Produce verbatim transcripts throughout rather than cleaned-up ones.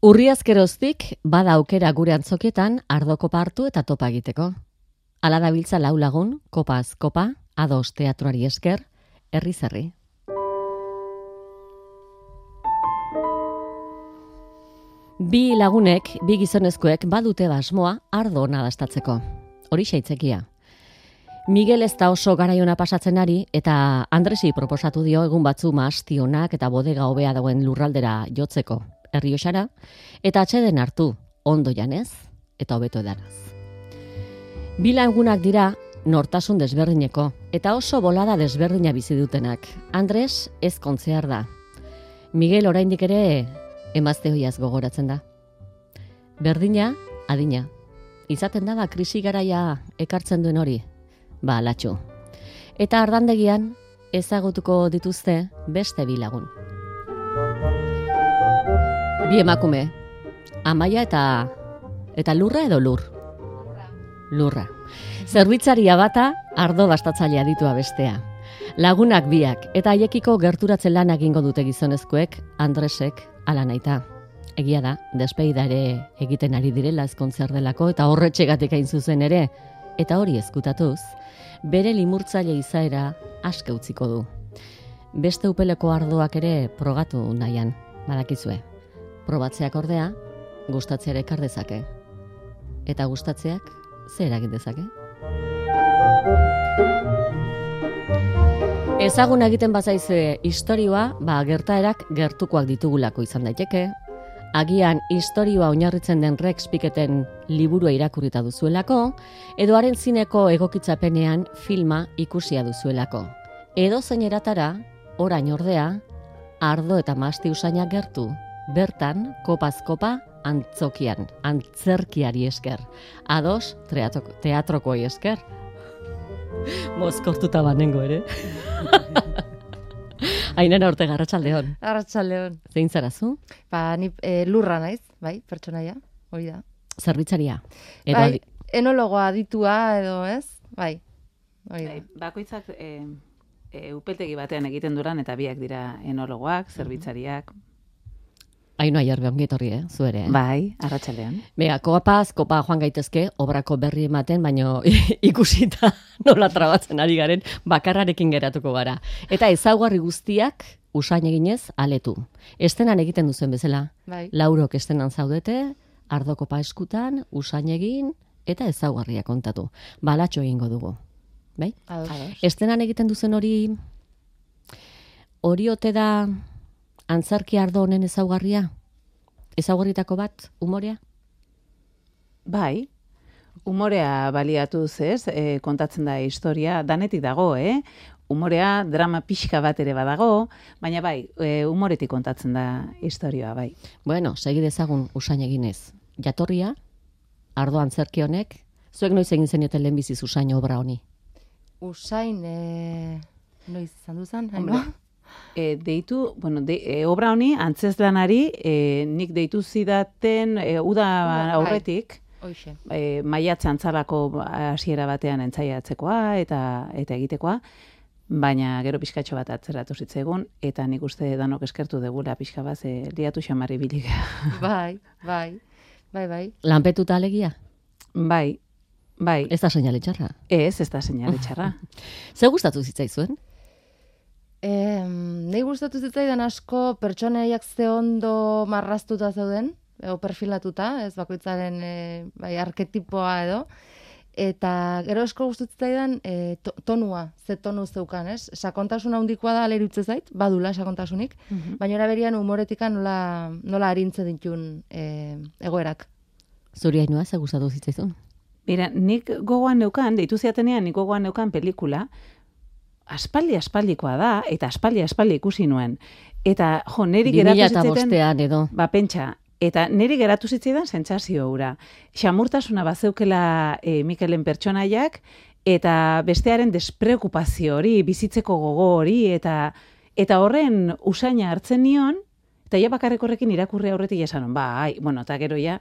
Urriazkeroztik bada aukera gure antzokietan ardokopa hartu eta topa egiteko. Hala dabiltza lau lagun, kopaz kopa, ados teatroari esker, herri zerri. Bi lagunek, bi gizonezkoek badute basmoa ardo ona dastatzeko. Hori xaitzekia. Miguel ez da oso garaiona pasatzen ari eta Andresi proposatu dio egun batzu maastionak eta bodega hobea dagoen lurraldera jotzeko. Errioxara, eta atxeden hartu, ondo janez, eta hobeto edanaz. Bi lagunak dira nortasun desberdineko, eta oso bolada desberdina bizi dutenak. Andres ez kontzear da. Miguel oraindik ere emazte hoiaz gogoratzen da. Berdina, adina. Izaten da ba krisi garaia ekartzen duen hori, ba alatxu. Eta ardandegian ezagutuko dituzte beste bi lagun. Bi emakume, Amaia eta eta lurra edo lur? Lurra. Lurra. Zerbitzaria bata, ardo bastatzailea ditua bestea. Lagunak biak, eta haiekiko gerturatzen lan egingo dute gizonezkoek, Andresek ala naita. Egia da, despeida ere egiten ari direla ezkontzer delako, eta horretxegatik hain zuzen ere, eta hori ezkutatuz, bere limurtzaile izaera aske utziko du. Beste upeleko ardoak ere progatu nahian, badakizue. Probatzeak ordea, gustatzeare ekar dezake. Eta gustatzeak, zer egin dezake? Ezagun egiten bazaizue istorioa, ba gertaerak gertukoak ditugulako izan daiteke. Agian istorioa oinarritzen den Rex Piketen liburua irakurrita duzuelako, edo haren zineko egokitzapenean filma ikusia duzuelako. Edo zein eratara, orain ordea, ardo eta masti usainak gertu, bertan, kopaz kopa, antzokian, antzerkiari esker. Ados, teatroko, teatrokoi esker. Mozkortuta banengo ere. Ainara Ortega, arratsaldeon. Arratsaldeon. Zein zarazu? Ba, ni e, lurra naiz, bai, pertsonaia, hori da. Zerbitzaria. Edo Bai, adi... enologoa aditua edo ez, bai, hori da. Bai, bakoitzak e, e, upeltegi batean egiten duran eta biak dira enologoak, zerbitzariak. Ainoa jarbe ongetorri, eh? Zuere, eh? Bai, arratsaldean. Bega, kopaz, kopa joan gaitezke, obrako berri ematen, baino ikusita nola trabatzen ari garen, bakarrarekin geratuko gara. Eta ezaugarri guztiak, usain eginez, aletu. Estenan egiten duzuen bezala. Bai. Laurok estenan zaudete, ardo kopa eskutan, usain egin, eta ezaugarria kontatu. Balatxo egingo dugu. Bai? Ados. Estenan egiten duzen hori, hori ote da... Antzerki ardo honen ezaugarria? Ezaugarritako bat, umorea? Bai, umorea baliatuz ez, e, kontatzen da historia, danetik dago, eh? Umorea drama pixka bat ere badago, baina bai, e, umoretik kontatzen da historia, bai. Bueno, segi dezagun usain eginez. Jatorria, ardo antzerki honek, zuek noiz egin zenioten lehenbiziz usain obra honi? Usain, e... noiz izan duzan, Hombre, haino? E, deitu, bueno, de, e, obra honi, antzezlanari, e, nik deitu zidaten, e, uda aurretik, Hoixe. e, maiatz antzalako hasiera batean entzaiatzekoa eta eta egitekoa, baina gero pixkatxo bat atzeratu zitzaigun, eta nik uste danok eskertu degula pixka bat, ze liatu xamarri bilik. Bai, bai, bai, bai. Lanpetuta alegia? Bai, bai. Ez da seinale txarra. Ez, ez da seinale txarra. Ze gustatu zitzaizuen? E, Nei gustatu zitzaidan asko pertsonaiak ze ondo marraztuta zeuden, edo perfilatuta, ez bakoitzaren e, bai, arketipoa edo, eta gero asko gustatu zitzaidan e, to, tonua, ze tonu zeukan, ez? Sakontasun handikoa da alerutze zait, badula sakontasunik, Mhm. baina eraberian humoretikan nola, nola arintzen ditun e, egoerak. Zuri Ainhoa, ze gustatu zitzaizun? Mira, nik gogoan neukan, deitu ziatenean, nik gogoan neukan pelikula, aspaldi aspaldikoa da, eta aspaldi aspaldi ikusi nuen. Eta, jo, neri geratu bi mila zitzaidan... bostean edo. Ba, pentsa, eta neri geratu zitzaidan sentsazio hura. Xamurtasuna bazeukela e, Mikelen pertsonaiak, eta bestearen despreokupazio hori, bizitzeko gogo hori, eta eta horren usaina hartzen nion, eta ja bakarrik horrekin irakurri aurretik esanon, ba, ai, bueno, eta gero ja,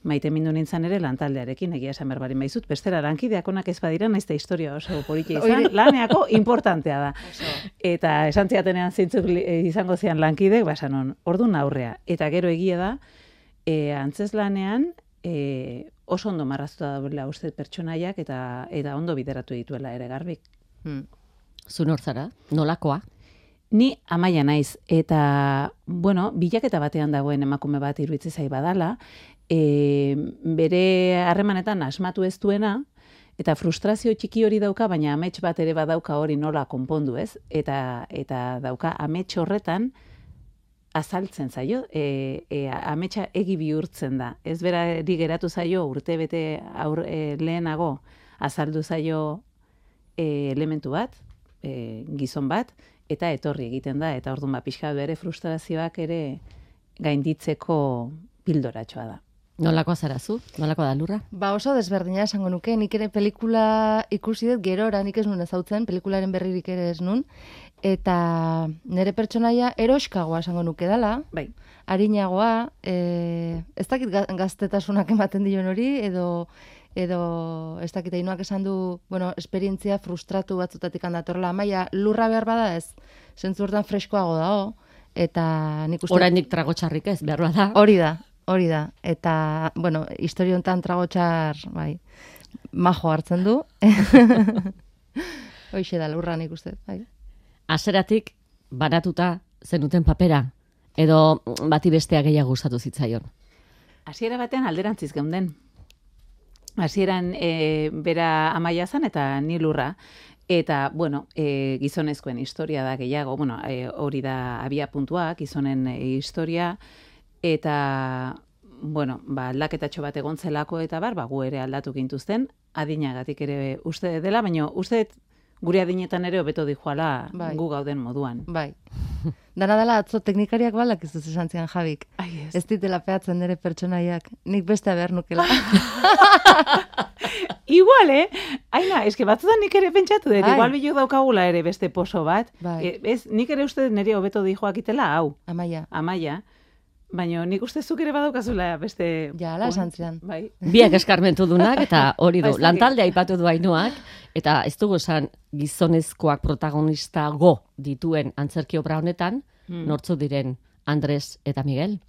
maite mindu nintzen ere lantaldearekin, egia esan berbarin baizut, bestera lankideak onak ez badira, naiz eta historia oso politia izan, laneako importantea da. Eta esan ziatenean zeintzuk izango zian lankidek, ba esanon, ordun aurrea. Eta gero egia da, E, antzeslanean, e, oso ondo marraztuta dagoela uste pertsonaiak eta eta ondo bideratu dituela ere Garbik. Hmm. Zu nortzara, nolakoa? Ni Amaia naiz, eta, bueno, bilaketa batean dagoen emakume bat iruditzen zai badala, e, bere harremanetan asmatu ez duena, eta frustrazio txiki hori dauka, baina amets bat ere badauka hori nola konpondu ez, eta, eta dauka amets horretan azaltzen zaio, e, e, ametsa egi bihurtzen da. Ez berari geratu zaio urte bete aur, e, lehenago azaldu zaio e, elementu bat, e, gizon bat, eta etorri egiten da, eta orduan ba, pixka bere frustrazioak ere gainditzeko pildoratxoa da. Nolakoa zara zu? Nolakoa da Lurra? Ba oso desberdina esango nuke, nik ere pelikula ikusi dut gerora, nik ez nun ezautzen, pelikularen berririk ere ez nun, eta nire pertsonaia eroskagoa esango nuke dela, Bai. arinagoa, e, ez dakit ga- gaztetasunak ematen dion hori, edo edo ez dakit Ainoak esan du, bueno, esperientzia frustratu batzutatik handatorla, Amaia Lurra behar bada ez, zentzu hortan freskoago dago, eta nik uste... Oraindik tragotxarrik ez, behar da. Hori da, hori da. Eta, bueno, historia honetan tragotxar, bai, majo hartzen du. Hoixe da, Lurra nik uste, bai. Haseratik banatuta zenuten papera, edo bati bestea gehiago gustatu zitzaion. Hasiera batean alderantziz geunden. Hasieran e, bera Amaia zan eta ni Lurra. Eta, bueno, e, gizonezkoen historia da gehiago, bueno, e, hori da abia puntua, gizonen e, historia, eta, bueno, ba, aldaketatxo bat egon zelako eta bar, ba, gu ere aldatu gintuzten, adinagatik ere uste dela, baina uste gure adinetan ere hobeto dijoala Bai. gu gauden moduan. Bai. Dana dela atzo teknikariak balak ez duz esan zian Jabik. Ai, ez. Ez ditela peatzen nire pertsonaiak. Nik beste behar nukela. Igual, eh? Aina, eske batzutan nik ere pentsatu dut, Ai. igual bilok daukagula ere beste poso bat. Bai. E, ez, nik ere uste dut nire hobeto dijoak itela, hau, Amaia. Amaia, baina nik uste zuk ere badaukazula beste... Ja, ala esan zidan. Bai. Biak eskarmentu dunak, eta hori Ba, du, ez dakit. lantaldea aipatu du Ainoak, eta ez dugu esan gizonezkoak protagonista go dituen antzerki obra honetan, Hmm. nortzu diren Andres eta Miguel.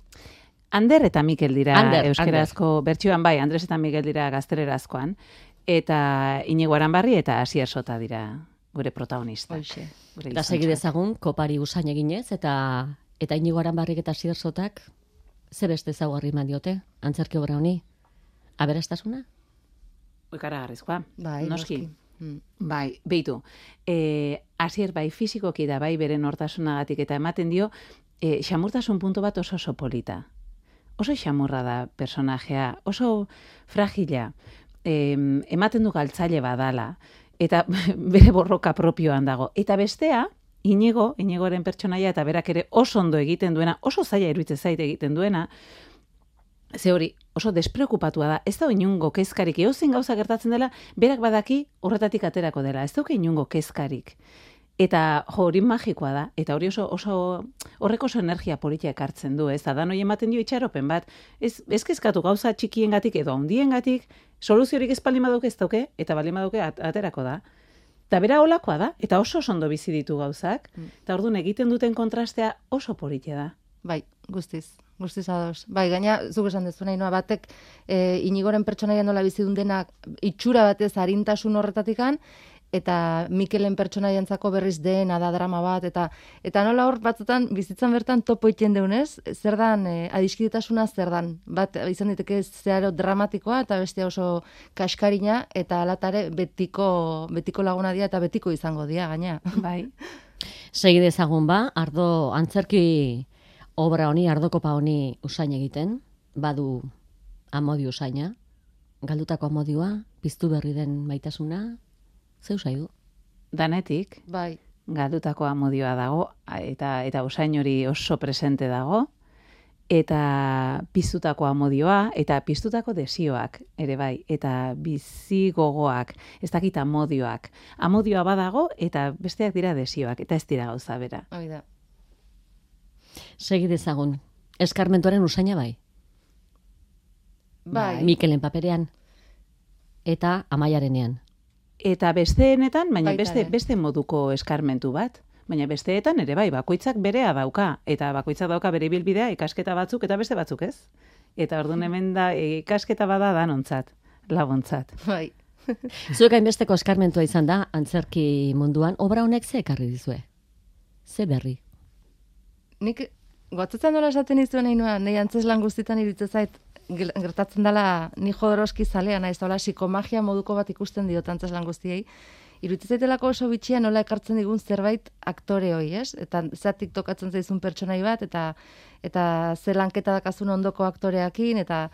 Ander eta Mikel dira Ander, euskerazko bertsioan, bai, Andres eta Miguel dira gaztelerazkoan, eta Iñigo Aranbarri eta Asier Sota dira gure protagonistak. Hoixe. Gure Eta segi gizontxoak. dezagun, kopari usain eginez, eta eta Inigo Aranbarrik eta Asier Sotak ze beste ezaugarri eman diote antzerki obra honi? Aberastasuna? Ikaragarrizkoa, Bai, noski. noski. Mm. Bai, beitu, e, Asier bai fizikoki da bai bere nortasunagatik eta ematen dio e, xamurtasun puntu bat oso oso polita. Oso xamurra da personajea, oso fragila, e, ematen du galtzaile badala, eta bere borroka propioan dago. Eta bestea, Inigo, Inigoren pertsonaia eta berak ere oso ondo egiten duena, oso zaila iruditzen zait egiten duena, ze hori oso despreokupatua da, ez da inungo kezkarik, eozein gauza gertatzen dela, berak badaki horretatik aterako dela, ez dauka inungo kezkarik. Eta jo, hori magikoa da, eta hori oso, oso horrek oso energia politia ekartzen du, ez da, dan hori ematen dio itxaropen bat, ez, ez kezkatu gauza txikiengatik edo handiengatik, soluziorik ez baldin badauke ez dauke, eta baldin badauke at- aterako da. Eta bera olakoa da, eta oso oso ondo bizi ditu gauzak, eta orduan egiten duten kontrastea oso politia da. Bai, guztiz. Guztiz ados. Bai, gaina, zuk esan dezu nahi, batek e, Inigoren pertsonaia nola bizidun denak itxura batez arintasun horretatikan, eta Mikelen pertsonaiantzako berriz dena da drama bat, eta eta nola hor batzutan bizitzan bertan topo iten deunez, zer dan, e, adiskidetasuna zer dan. Bat izan diteke zeharo dramatikoa, eta beste oso kaskarina, eta alatare betiko, betiko laguna dira, eta betiko izango dira, gaina. Bai. Segi dezagun ba, ardo antzerki obra honi, ardokopa honi usain egiten, badu amodio usaina, galdutako amodioa, piztu berri den maitasuna, zeu du? Danetik, Bai, galdutako amodioa dago, eta eta usain hori oso presente dago, eta piztutako amodioa, eta piztutako desioak ere bai, eta bizi gogoak, ez dakit amodioak. Amodioa badago, eta besteak dira desioak, eta ez dira gauza bera. hori da. Segi dezagun, eskarmentuaren usaina bai, Bai, Mikelen paperean, eta Amaiarenean. Eta besteenetan, baina Baita beste, ere. beste moduko eskarmentu bat. Baina besteetan ere bai, bakoitzak berea dauka, eta bakoitzak dauka bere ibilbidea, ikasketa batzuk eta beste batzuk ez. Eta orduan hemen da, ikasketa bada danontzat, laguntzat. Bai. Zuek hainbesteko eskarmentua izan da, antzerki munduan, obra honek ze ekarri dizue? Ze berri? Nik gotzatzen nola esaten izuen nahi nuen, nahi antzeslan guztietan iruditzen zait, gertatzen dela ni jodorozki zalea, naiz, hola, psikomagia moduko bat ikusten diot antzeslan guztiei, iruditzen zaitelako oso bitxia nola ekartzen digun zerbait aktore hoi, ez? Eta zatik tokatzen zaizun pertsonai bat, eta eta ze lanketa dakazun ondoko aktoreakin, eta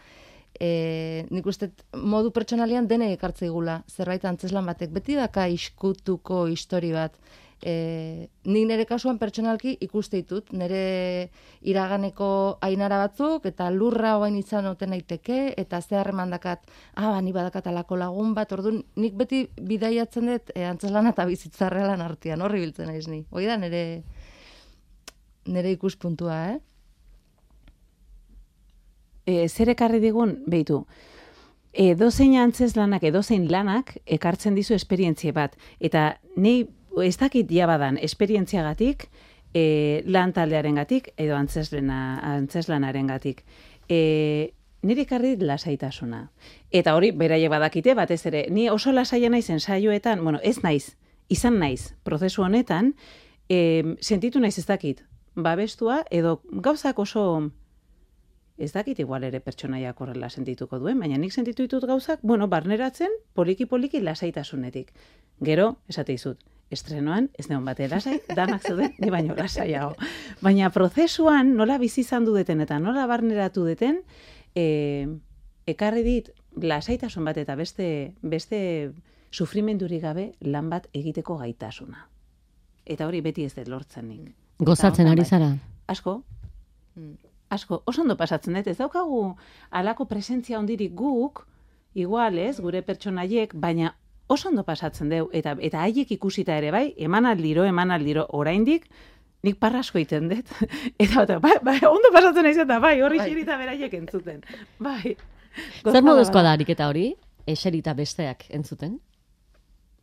e, nik uste modu pertsonalian dene ekartze igula, zerbait antzeslan batek. Beti daka iskutuko histori bat. E, nik nire kasuan pertsonalki ikuste ditut, nire iraganeko ainara batzuk, eta lurra oain izan oten daiteke, eta ze harreman dakat, ah, ba, ni badakat alako lagun bat, orduan nik beti bidaiatzen dut e, antzeslana eta bizitza realan artean, horri biltzen naiz ni. Hoi da nire, nire ikuspuntua, eh? E, zer ekarri digun, behitu, edozein antzeslanak, edozein lanak ekartzen dizu esperientzia bat, eta nei ez dakit jabadan esperientziagatik, e, lan taldearengatik edo antzeslana, antzeslanaren-gatik. E, niri ekarri lasaitasuna. Eta hori, beraiek badakite, batez ere, ni oso lasaia naiz ensaioetan, bueno, ez naiz, izan naiz, prozesu honetan, e, sentitu naiz ez dakit, babestua, edo gauzak oso, ez dakit igual ere pertsonaiak horrela sentituko duen, baina nik sentitu ditut gauzak, bueno, barneratzen, poliki-poliki lasaitasunetik. Gero, esate dizut, estrenoan, ez neon bate lasai, danak zeuden, ni baino lasaiago. Baina prozesuan, nola bizi izan dudeten eta nola barneratu deten, e, ekarri dit lasaitasun bat eta beste, beste sufrimendurik gabe lan bat egiteko gaitasuna. Eta hori beti ez dut lortzen nik. Gozatzen ari zara? Asko. Asko, oso ondo pasatzen dut, ez daukagu alako presentzia ondirik guk, igual ez, gure pertsonaiek, baina oso ondo pasatzen deu, eta eta haiek ikusita ere bai, eman aldiro, eman aldiro, oraindik, nik parrasko egiten dut, eta eta bai, bai, ondo pasatzen naiz eta bai, horri bai. Xerita beraiek entzuten. Bai. Zer moduzkoa da ariketa hori? Eserita besteak entzuten?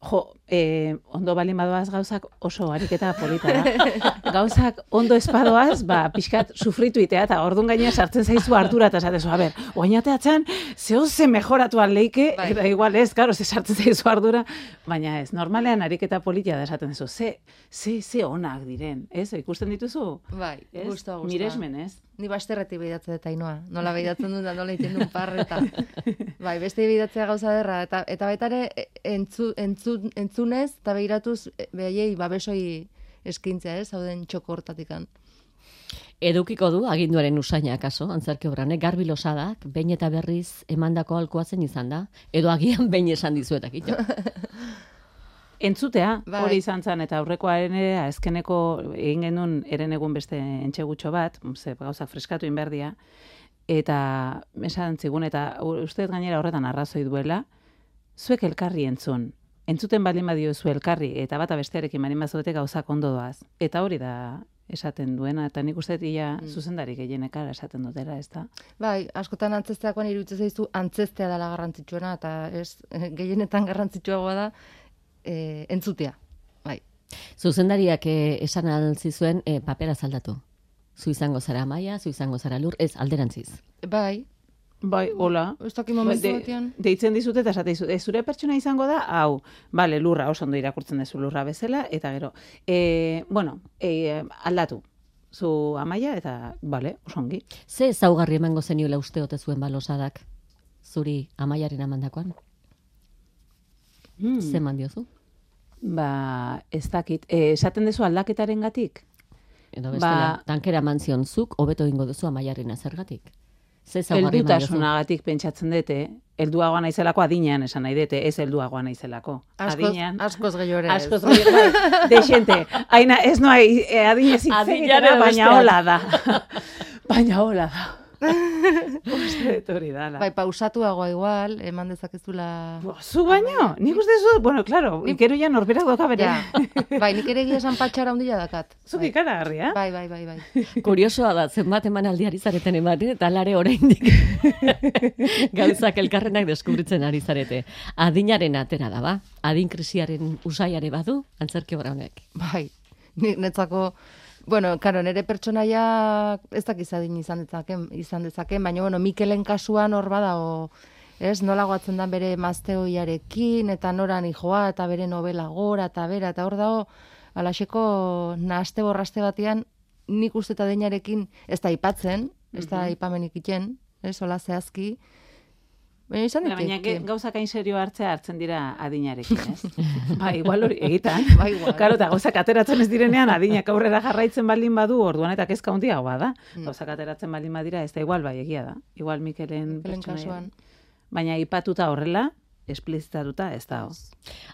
Jo, eh, ondo balin badoaz gauzak oso ariketa polita da. Gauzak ondo espadoaz, ba, pixkat sufritu itea, eta orduan gaina sartzen zaizu ardura, eta esatezu, a ber, oinateatzen, zeo ze mejoratu aldeike, bai. Eta igual ez, karo, ze sartzen zaizu ardura, baina ez, normalean ariketa polita da esaten zu, ze, ze, ze onak diren, ez, ikusten dituzu? Bai, guztua, guztua. Miresmen, ez? Ni basterretik behidatzen dut Ainoa, nola behidatzen dut da, nola egiten duen parreta. Bai, beste behidatzea gauza derra, eta, eta baita ere entzu, entzu, entzunez, eta behiratuz behaiei babesoi eskintzea, ez, zauden txoko hortatikan. Edukiko du aginduaren usaina kaso, antzerki obranek, Garbi Losadak, behin eta berriz emandako alkoa zen izan da, edo agian behin esan dizuetak, ito. Entzutea, bai. Hori izan zen, eta aurrekoaren ere, azkeneko egin genuen eren egun beste entxegutxo bat, ze gauzak freskatu inberdia, eta esan zigun, eta uste gainera horretan arrazoi duela, zuek elkarri entzun. Entzuten baldin badio zu elkarri, eta bata bestearekin baldin bazuete gauzak ondo doaz. Eta hori da esaten duena, eta nik uste ia mm. zuzendari gehienekara esaten dutela, ez da? Bai, askotan antzesteakoan iruditzen zaizu antzestea dela garrantzitsuena, eta ez, gehienetan garrantzitsuagoa da, E, entzutea, bai. Zuzendariak e, esan altzizuen e, papera zaldatu. Zu izango zara Amaia, zu izango zara Lur, ez alderantziz. Bai. Bai, hola. Ez dakit momentu De, batean. Deitzen dizute eta esate dizute, zure pertsona izango da, hau, bale, Lurra, oso ondo irakurtzen dezu Lurra bezala, eta gero, e, bueno, e, aldatu. Zu Amaia, eta, bale, oso ongi. Ze ezaugarri emango zeniola uste ote zuen Balosadak, zuri Amaiaren amandakoan? Hmm. Ze eman diozu? Ba, ez dakit. E, esaten dezu aldaketaren gatik? Edo bestela, ba, tankera mantzionzuk, hobeto ingo duzu Amaiaren azergatik. Ze ezaugarri eman diozu? Heldutasunagatik pentsatzen dute, helduagoa naizelako adinean esan nahi dute, ez helduagoa naizelako. Adinean. Askoz gehiore ez. Askoz gehiore, dexente. Aina, ez noa, adinez itzegitera, baina hola da. Baina hola da. Uste hori dala. Bai, pausatuagoa igual, eman dezakezula... Zu baino, nik uste zu, bueno, claro, ikero ja norberak doka bere. Ja. Bai, nik ere egia esan patxara ondila dakat. Zuk bai. Ikara harria. Bai, bai, bai, bai. Kuriosoa da, zenbat eman aldiari zareten ematen, eta lare oraindik gauzak elkarrenak deskubritzen ari zarete. Adinaren atera da, ba? Adin krisiaren usaiare badu, antzerki obra honek. Bai, netzako... Bueno, karo, nire pertsonaia ez dakiz adin izan dezaken, izan dezaken, baina, bueno, Mikelen kasuan hor badago, ez, nola goatzen da bere mazteoiarekin, eta noran joa, eta bere novela gora, eta bera, eta hor dago, alaxeko nahaste borraste batean, nik uste eta deinarekin, ez da ipatzen, ez da ipamenik iten, ez, hola zehazki, baina izan Baina, diteke. baina gauzak hain serio hartzea hartzen dira adinarekin, ez? Ba, igual hori egitan. Ba, igual. Karo, eta gauzak ateratzen ez direnean adinak aurrera jarraitzen baldin badu, orduan eta kezka handiagoa da. Gauzak ateratzen baldin badira, ez da igual, bai, egia da. Igual Mikelen Mikelen pertsonaia. kasuan. Baina ipatuta horrela, esplizitatuta ez da.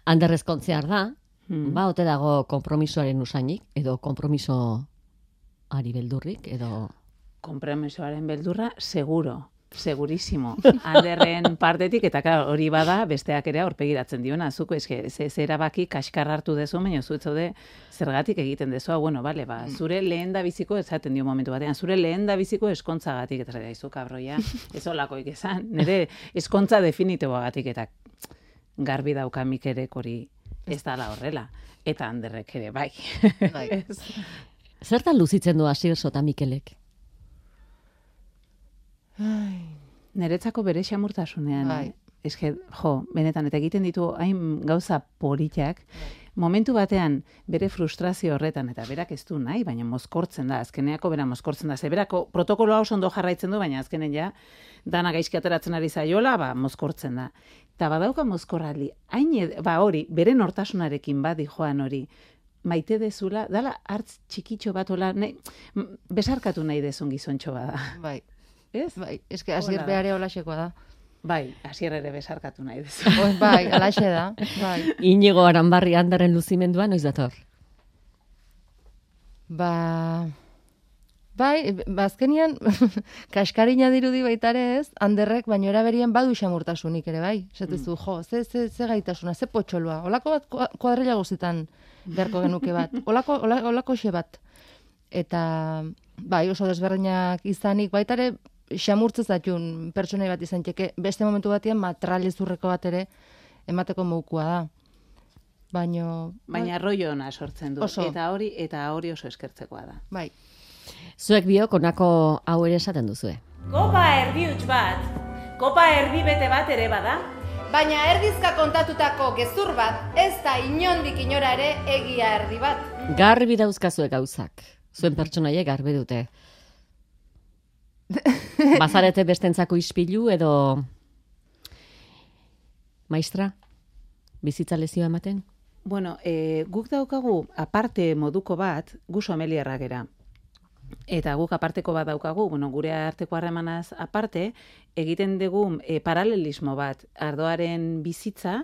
Ander ezkontzear da, Hmm. ba, ote dago konpromisoaren usainik, edo konpromiso ari beldurrik, edo... Konpromisoaren beldurra, seguro. Segurísimo. Anderren partetik, eta klar, hori bada, besteak ere aurpegiratzen diona. Zuko, eske, ze, ze erabaki kaskar hartu dezu, baina zu etzaude zergatik egiten dezu. Bueno, bale, ba, zure lehen da biziko, esaten dio momentu batean, zure lehen da biziko eskontzagatik, eta daizu, kabroia, ez olakoik esan, nire eskontza definitiboagatik, eta garbi dauka Mikelek hori ez dala horrela. Eta Anderrek ere, bai. Bai. Zertan luzitzen du Asierso eta Mikelek? Neretzako bere xamurtasunean, Bai. eh? Eske, jo, benetan, eta egiten ditu hain gauza politak, momentu batean bere frustrazio horretan, eta berak ez du nahi, baina mozkortzen da, azkeneako bera mozkortzen da, ze berako protokoloa oso ondo jarraitzen du, baina azkenen ja, dana gaizki ateratzen ari zaiola, ba, mozkortzen da. Eta badauka mozkorraldi, hain, ed- ba hori, bere nortasunarekin badi joan hori, maite dezula, dala hartz txikitxo bat, ola, nahi, m- besarkatu nahi dezun gizontxo bada. Bai, Ez? bai, eske Asier Hola da. behare holaxekoa da. Bai, hasier ere besarkatu nahi dezu. Oi, bai, alaxe da, bai. Inigo Aranbarri Anderren luzimendua noiz dator? Ba, bai, ba, azkenian, kaskarina dirudi baitare ez, Anderrek, baino eraberien badu xamurtasunik ere, bai. Esatezu, jo, ze, ze, ze gaitasuna, ze potxoloa, olako bat kua- kuadrilla guztietan beharko genuke bat, olako, ola, olako xe bat. Eta, bai, oso desberdinak izanik, baitare, xamurtzez atxun pertsonai bat izan txeke, beste momentu batean matralezurreko bat ere emateko moukua da. Baino, Baina rollo ona sortzen du. Oso. Eta hori eta hori oso eskertzekoa da. bai, Zuek biok honako hau ere esaten duzue. Kopa erdi huts bat, kopa erdi bete bat ere bada. Baina erdizka kontatutako gezur bat, ez da inondik inora ere egia erdi bat. Garbi dauzkazue gauzak. Zuen pertsonaiek garbi dute. Bazarete bestentzako ispilu edo... Maistra? Bizitza lezioa ematen? Bueno, e, guk daukagu aparte moduko bat, gu sommeliarrak gera. Eta guk aparteko bat daukagu, bueno, gure arteko harremanaz aparte, egiten dugu e, paralelismo bat, ardoaren bizitza,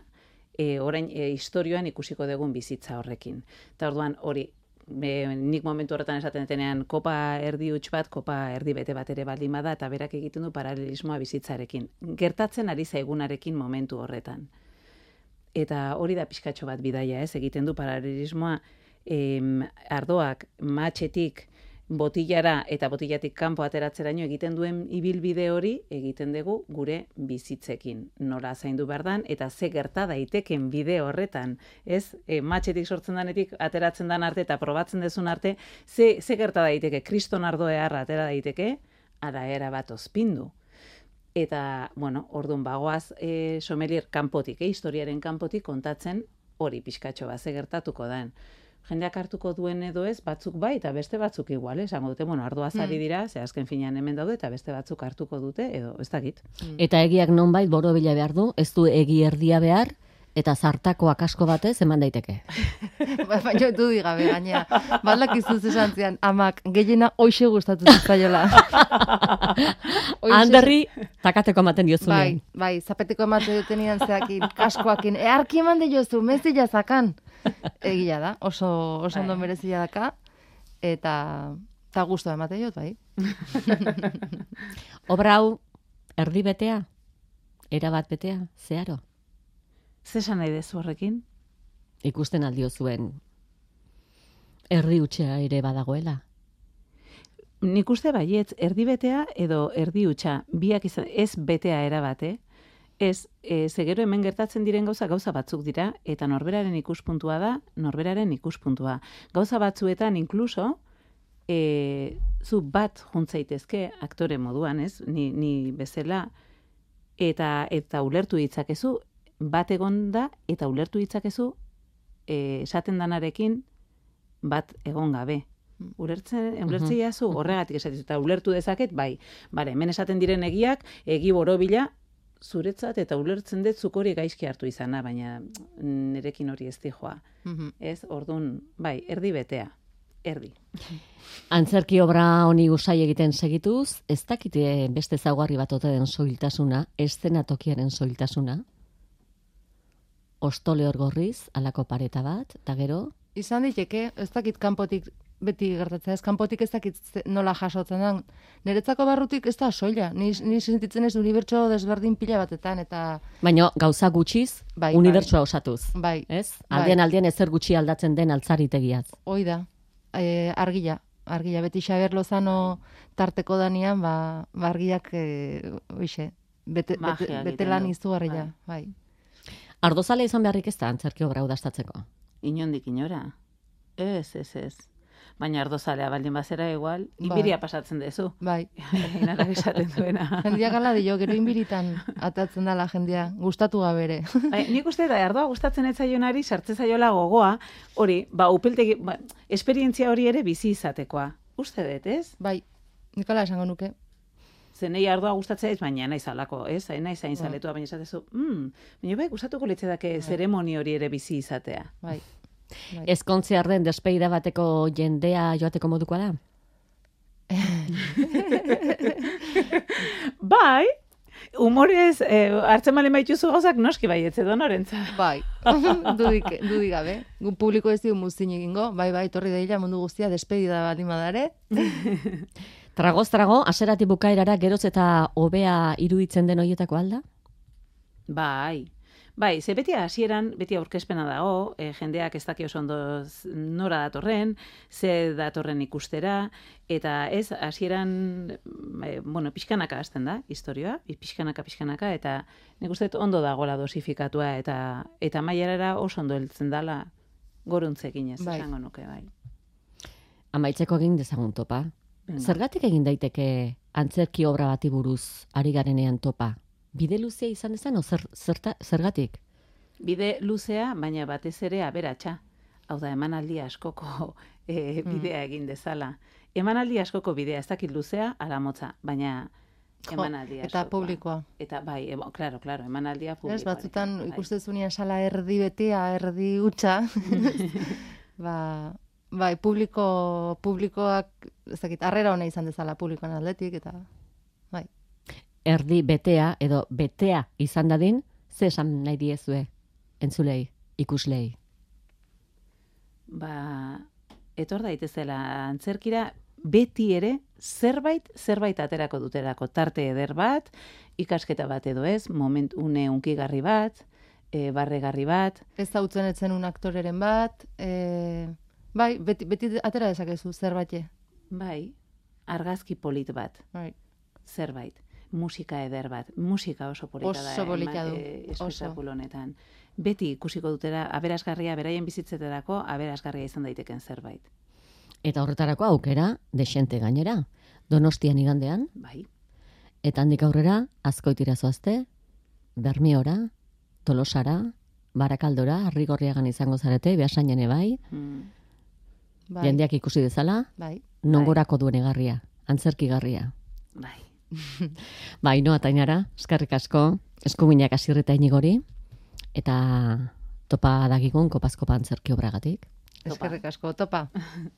e, orain e, historioan ikusiko dugun bizitza horrekin. Eta orduan hori, e, nik momentu horretan esaten detenean kopa erdi huts bat, kopa erdi bete bat ere baldin bada, eta berak egiten du paralelismoa bizitzarekin. Gertatzen ari zaigunarekin momentu horretan. Eta hori da pixkatxo bat bidaia, ez? Egiten du paralelismoa em, ardoak matxetik botillara eta botillatik kanpo ateratzeraino egiten duen ibilbide hori egiten dugu gure bizitzekin. Nola zaindu behar dan, eta ze gerta daiteken bide horretan, ez? E, matxetik sortzen danetik ateratzen dan arte eta probatzen dezun arte, ze, ze gerta daiteke, kriston ardo eharra atera daiteke, ara era bat ozpindu. Eta, bueno, orduan bagoaz e, sommelier kanpotik, e, historiaren kanpotik kontatzen hori pixkatxo bat, ze gertatuko den. Jendeak hartuko duen edo ez, batzuk bai, eta beste batzuk igual, esango dute, bueno, ardoaz ari dira, ze azken finean hemen daude, eta beste batzuk hartuko dute, edo ez dakit. Eta egiak nonbait borobila behar du, ez du egi erdia behar, eta zartako akasko batez eman daiteke. Ba- baina du digabe gainea. Balak izuz esan zian, amak, gehiena hoxe gustatu zitzaiola. Hoxe- Anderri, takateko ematen diozunean. Bai, bai, zapeteko emate dutenian zeakin, kaskoakin, earki eman de jozu, mezila zakan. Egia da, oso, oso ondo merezila daka, eta, eta guztua emate jot, bai. Obra hau, erdi betea? Erabat betea? Zeharo? Zesan nahi dezu horrekin? Ikusten aldio zuen erdi utxea ere badagoela. Nik uste baietz, erdi betea edo erdi hutsa, biak izan, ez betea erabate, ez, e, ze gero hemen gertatzen diren gauza gauza batzuk dira, eta norberaren ikuspuntua da, norberaren ikuspuntua. Gauza batzuetan inkluso, e, zu bat juntzaitezke aktore moduan, ez? Ni, ni bezala, eta eta ulertu ditzakezu, bat egon da, eta ulertu ditzakezu, e, esaten danarekin, bat egon gabe. Ulertzen, ulertzen jazu, horregatik esatizu, eta ulertu dezaket, bai, bare, hemen esaten diren egiak, egi borobila, zuretzat eta ulertzen dut zuk hori gaizki hartu izana, baina nerekin hori ez dijoa. Ez, ordun, bai, erdi betea, erdi. Antzerki obra honi usai egiten segituz, ez dakite beste zaugarri bat ote den soiltasuna, eszenatokiaren soiltasuna, ostole hor gorriz, alako pareta bat, eta gero? Izan diteke, ez dakit kanpotik beti gertatzen ez, kanpotik ez dakit nola jasotzen den. Niretzako barrutik ez da soila, ni, ni sentitzen ez unibertso desberdin pila batetan, eta... Baina gauza gutxiz, bai, unibertsoa osatuz. Bai. Ez? Aldean aldean ezer gutxi aldatzen den altzaritegiaz. Hoi da, e, argila. Argila, beti Xabier Lozano tarteko danian, ba, ba argiak, e, oixe, bete, bete, bete lan izugarria, bai. Ardozale izan beharrik ez da antzerki obra udastatzeko? Inondik inora. Ez, ez, ez. Baina ardozalea baldin bazera igual, inbiria pasatzen dezu. Bai. Inara esaten duena. Jendia gala dio, gero inbiritan atatzen dala jendia, gustatu gabere. Bai, nik uste da, ardoa gustatzen ez zaionari, sartze zaiola gogoa, hori, ba, upeltegi, ba, esperientzia hori ere bizi izatekoa. Uste dut, ez? Bai, nikala esango nuke. Zenei ardoa gustatzea ez, baina naiz alako, ez? Naiz hain zaletua, baina esatezu, mm, baina bai, gustatuko litzedake zeremoni hori ere bizi izatea. Bai. Bai. Ezkontziar den despeida bateko jendea joateko modukoa da? Bai, humorez, eh, hartzen malen baituzu gauzak noski bai, etze donorentza. Bai, dudik, dudik gabe. Gu publiko ez digu muzin egingo, bai, bai, torri daila mundu guztia despedida bat imadare. Tragoz trago, aserati bukaerara geroz eta hobea iruditzen den horietako alda? Bai, bai, ze beti hasieran, beti aurkezpena dago, e, jendeak ez daki oso ondo nora datorren, ze datorren ikustera, eta ez, hasieran, e, bueno, pixkanaka hasten da, historioa, pixkanaka, pixkanaka, eta nik uste dut ondo dagoela dosifikatua, eta eta mailarara oso ondo heltzen dala goruntzekin ez, bai. Esango nuke, bai. Amaitzeko egin dezagun topa. Venga. Zergatik egin daiteke antzerki obra bati buruz ari garenean topa? Bide luzea izan dezan, o zer, zerta, zergatik? Bide luzea, baina batez ere aberatsa. Hau da, emanaldi askoko e, bidea egin dezala. Emanaldi askoko bidea, ez dakit luzea, ala motza, baina emanaldi askokoa. Eta publikoa. Eta bai, ebo, claro, claro, emanaldia publikoa. Ez, batzutan ikustezunean sala erdi betea, erdi hutsa. ba, bai, publiko, publikoak, ez dakit, harrera hona izan dezala publikoan aldetik, eta bai. Erdi betea edo betea izan dadin, ze esan nahi diezue, entzulei, ikuslei? Ba, etor daitezela antzerkira, beti ere zerbait, zerbait aterako duterako, tarte eder bat, ikasketa bat edo ez, moment une unkigarri bat, e, barregarri bat. Ez hautzen etzen un aktoreren bat, e, bai, beti, beti atera dezakezu zerbait. Bai, argazki polit bat, Bai. zerbait. Musika eder bat, musika oso polita da. Oso polita du, E, oso. espektakulo honetan. Beti ikusiko dutera, aberasgarria, beraien bizitzeterako, aberasgarria izan daiteken zerbait. Eta horretarako aukera, desente gainera, Donostian igandean, Bai. eta handik aurrera, Azkoitira zoazte, Bermiora, Tolosara, Barakaldora, Arrigorriagan izango zarete, Beasainen bai, Mm. Bai. jendeak ikusi dezala, Bai. nongorako duen egarria, antzerkigarria. Bai. Ba, Ainoa eta Ainara, eskerrik asko, eskuminak Asirreta Inigori, eta topa dagigun kopazkopa antzerki obragatik. Eskerrik asko, topa.